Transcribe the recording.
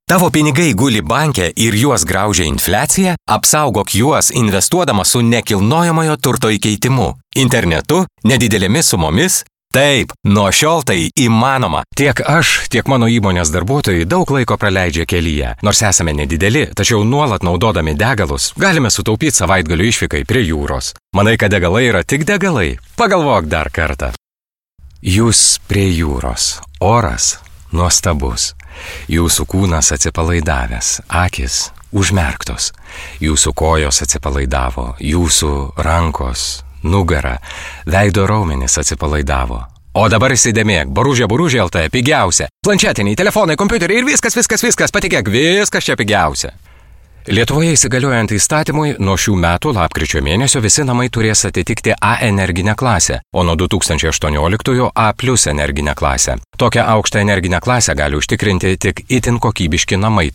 Tavo pinigai guli banke ir juos graužia infliacija? Apsaugok juos investuodama su nekilnojamojo turto įkeitimu. Internetu, nedidelėmis sumomis? Taip, nuo šiol tai įmanoma. Tiek aš, tiek mano įmonės darbuotojai daug laiko praleidžia kelyje. Nors esame nedideli, tačiau nuolat naudodami degalus, galime sutaupyti savaitgalių išvykai prie jūros. Manai, kad degalai yra tik degalai? Pagalvok dar kartą. Jūs prie jūros. Oras nuostabus. Jūsų kūnas atsipalaidavęs, akis užmerktos. Jūsų kojos atsipalaidavo, jūsų rankos, nugara, veido raumenys atsipalaidavo. O dabar įsidėmėk, Boružė LT pigiausia. Planšetiniai, telefonai, kompiuteriai ir viskas, patikėk, viskas čia pigiausia. Lietuvoje įsigaliojant įstatymui, nuo šių metų lapkričio mėnesio visi namai turės atitikti A energinę klasę, o nuo 2018 A+ energinę klasę. Tokią aukštą energinę klasę gali užtikrinti tik itin kokybiški namai.